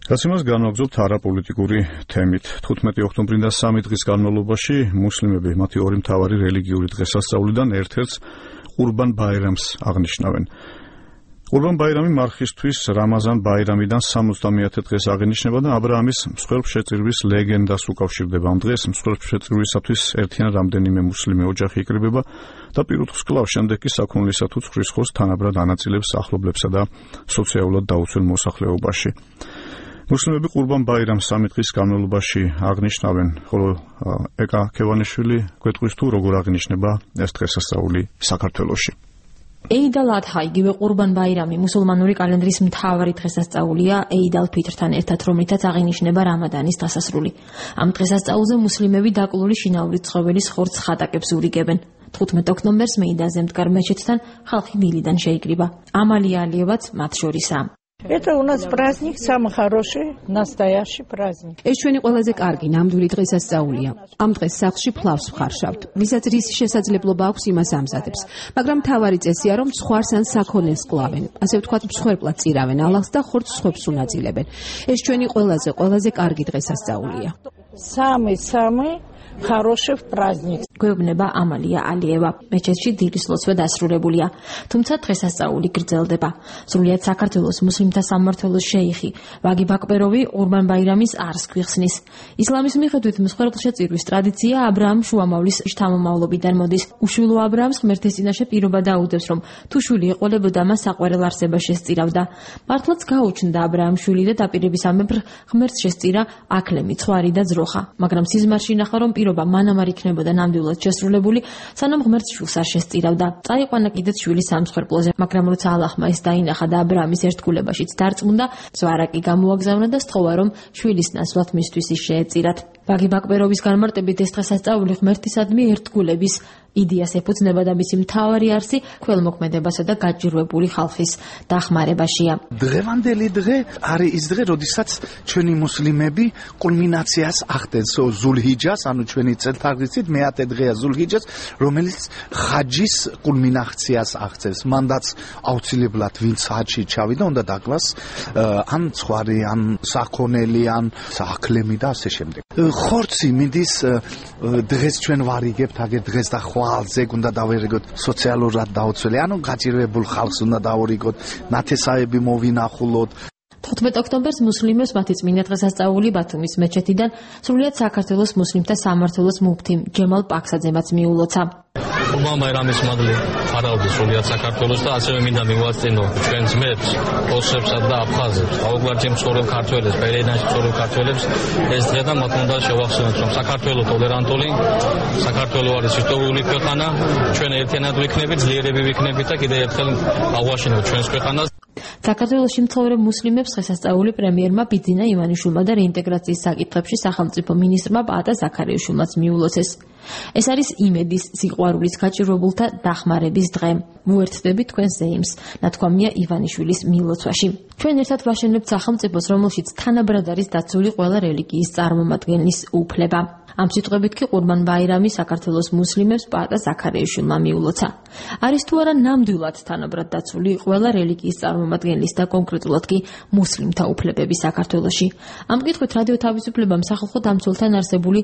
გასიმას განვაგრძობთ არაპოლიტიკური თემით. 15 ოქტომბრიდან 3 დღის განმავლობაში მუსლიმები მათი ორი მთავარი რელიგიური დღესასწაულიდან ერთ-ერთს ყურბან ბაირამს აღნიშნავენ. ყურბან ბაირამი მარხისთვის რამაზან ბაირამიდან 70-ე დღეს აღინიშნება და აბრაამის მსხვერპლშეწირვის ლეგენდას უკავშირდება. ამ დღეს მსხვერპლშეწირვისათვის ერთიან რამდენიმე მუსლიმი ოჯახი იკრიბება და პირუთხს კლავს, შემდეგ კი საქონლისა თუ ცხრის ხორცს თანაბრად ანაწილებს ახლობლებსა და სოციალურად დაუცველ მოსახლეობაში. მუსლიმები ყურბან ბაირამს 3 დღის განმავლობაში აღნიშნავენ, ხოლო ეკა ქევანიშვილი გვეტყვის თუ როგორ აღინიშნება ეს დღესასწაული საქართველოში. Eid al-Adha, იგივე ყურბან ბაირამი მუსულმანური კალენდრის მთავარი დღესასწაულია Eid al-Fitr-თან ერთად, რომლითაც აღინიშნება რამადანის დასასრული. ამ დღესასწაულზე მუსლიმები დაკლული შინაური ცხოველის ხორცს ხატაკებს ურიგებენ. 15 ოქტომბერს მეიდაზე მდგარ მეჩეთთან ხალხი დილიდან შეიკრიბა. ამალია ალიევაც მათ შორისაა. Это у нас праздник, самый хороший, настоящий праздник. ეს ჩვენი ყველაზე კარგი ნამდვილი დღესასწაულია. ამ დღეს სახლში ფლავს ვხარშავთ. ვისაც რის შესაძლებლობა აქვს იმას ამზადებს. მაგრამ მთავარი წესია, რომ ცხვარს ან საქონელს კლავენ. ასე ვთქვათ, მსხვერპლად წირავენ ალაღს და ხორცს სხვებს უნაწილებენ. ეს ჩვენი ყველაზე კარგი დღესასწაულია. Самый хороший праздник. გვეუბნება ამალია ალიევა. მეჩეთში დილის ლოცვა დასრულებულია. თუმცა დღესასწაული გრძელდება. სრულიად საქართველოს მუსლიმთა სამმართველოს შეიხი ვაგი ბაკბეროვი ყურბან ბაირამის არს გვიხსნის. ისლამის მიხედვით მსხვერპლშეწირვის ტრადიცია აბრაამ შუამავლის შთამომავლობიდან მოდის. უშვილო აბრაამს ღმერთის წინაშე პირობა დაუდევს, რომ თუ შვილი ეყოლებოდა, მას საყვარელ არსება შესწირავდა. მართლაც გაუჩნდა აბრაამ შვილი და დაპირებისამებრ ღმერთს შესწირა აქლემი, ცხვარი და ძროხა. მაგრამ სიზმარში ნახა, რომ პირობა მანამ არ იქნებოდა ნამდვილად შესრულებული, სანამ ღმერთს შვილს არ შესწირავდა. წაიყვანა კიდეც შვილი სამსხვერპლოზე, მაგრამ როცა ალლაჰმა ეს დაინახა და აბრაამის ერთგულებაშიც დარწმუნდა, ზვარაკი გამოაგზავნა და სთხოვა, რომ შვილის ნაცვლად მისთვის ის შეეწირათ. ვაგი ბაკბეროვის განმარტებით ეს დღესასწაული ღმერთისადმი ერთგულების იდეას ეფუძნება და მისი მთავარი არსი ქველმოქმედებასა და გაჭირვებული ხალხის დახმარებაშია. დღევანდელი დღე არის ის დღე, როდესაც ჩვენი მუსლიმები კულმინაციას ახდენს ზულჰიჯას, ანუ ჩვენი წელთაღრიცით მეათე დღეა ზულჰიჯას, რომელიც ხაჯის კულმინაციას აღწევს. მანდაც აუცილებლად ვინც ხაჯში ჩავიდა, უნდა დაკლას ან ცხვარი, ან საქონელი, ან აქლემი და ასე შემდეგ. ხორცი მიდის დღეს ჩვენ ვარიგებთ, აგერ დღეს და ზეგ უნდა დავერიგოთ სოციალურად დაუცველი, ანუ გაჭირვებულ ხალხს უნდა დავერიგოთ, ნათესავები მოვინახულოთ. 15 ოქტომბერს მუსლიმებს მათი წმინდა დღესასწაული ბათუმის მეჩეთიდან სრულიად საქართველოს მუსლიმთა სამმართველოს მუფთი ჯემალ პაქსაძემაც მიულოცა. ყურბან ბაირამის მადლი ფარავდი სრულიად საქართველოს და ასევე მინდა მივაწინო ჩვენს ძმებს, ოსებსა და აფხაზებს, აუგვარჯი მცხოვრებ ქართველებს, ბერენაში მცხოვრებ ქართველებს ეს დღე და მათ უნდა შევახსენოთ, რომ საქართველო ტოლერანტული, საქართველო არის ისტორიული ქვეყანა, ჩვენ ერთიანად ვიქნებით, ძლიერები ვიქნებით და კიდევ ერთხელ აღვაშინოთ ჩვენს ქვეყანას. საქართველოში მცხოვრებ მუსლიმებს დღესასწაული პრემიერმა ბიძინა ივანიშვილმა და რეინტეგრაციის საკითხებში სახელმწიფო მინისტრმა პაატა ზაქარიაშვილმაც მიულოცეს. ეს არის იმედის, სიყვარულის, გაჭირვებულთა დახმარების დღე. ვუერთდებით თქვენს ზეიმს, ნათქვამია ივანიშვილის მილოცვაში. ჩვენ ერთად ვაშენებთ სახელმწიფოს, რომელშიც თანაბრად არის დაცული ყველა რელიგიის წარმომადგენლის უფლება. ამ სიტყვებით კი ყურბან ბაირამი საქართველოს მუსლიმებს პაატა ზაქარიაშვილმა მიულოცა. არის თუ არა ნამდვილად თანაბრად დაცული ყველა რელიგიის წარმომადგენლის და კონკრეტულად კი მუსლიმთა უფლებები საქართველოში. ამ კითხვით რადიო თავისუფლებამ სახალხო დამცველთან არსებული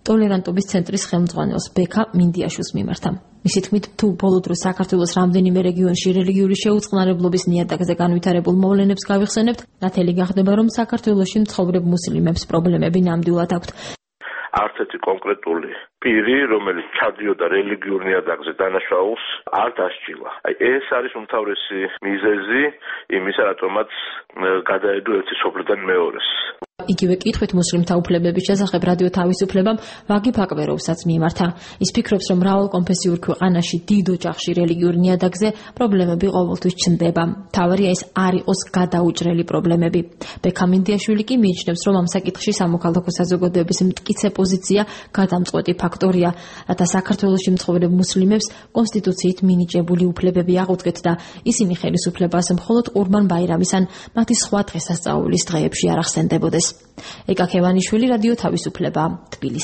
ტოლერანტობის ცენტრის ხელმძღვანელს ბექა მინდიაშვილს მიმართა. მისი თქმით, თუ ბოლო დროს საქართველოს რამდენიმე რეგიონში რელიგიური შეუწყნარებლობის ნიადაგზე განვითარებულ მოვლენებს გავიხსენებთ, ნათელი გახდება, რომ საქართველოში მცხოვრებ მუსლიმებს პრობლემები ნამდვილად აქვთ. არც ერთი კონკრეტული პირი, რომელიც ჩადიოდა რელიგიურ ნიადაგზე დანაშაულს, არ დასჯილა. ეს არის უმთავრესი მიზეზი იმისა, რატომაც გადაედო ერთი სოფლიდან მეორეს. იგივე კითხვით მუსლიმთა უფლებების შესახებ რადიო თავისუფლებამ ვაგი ბაკბეროვსაც მიმართა. ის ფიქრობს, რომ მრავალკონფესიურ ქვეყანაში დიდ ოჯახში რელიგიურ ნიადაგზე პრობლემები ყოველთვის ჩნდება. მთავარია ეს არ იყოს გადაუჭრელი პრობლემები. ბექა მინდიაშვილი კი მიიჩნევს, რომ ამ საკითხში სამოქალაქო საზოგადოების მტკიცე პოზიცია გადამწყვეტი ფაქტორია, რათა საქართველოში მცხოვრებ მუსლიმებს კონსტიტუციით მინიჭებული უფლებები აღუდგეთ და ისინი ხელისუფლებას მხოლოდ ყურბან ბაირამის ან მათი სხვა დღესასწაულის დღეებში არ ახსენდებოდეს. ეკა ქევანიშვილი, რადიო თავისუფლება, თბილისი.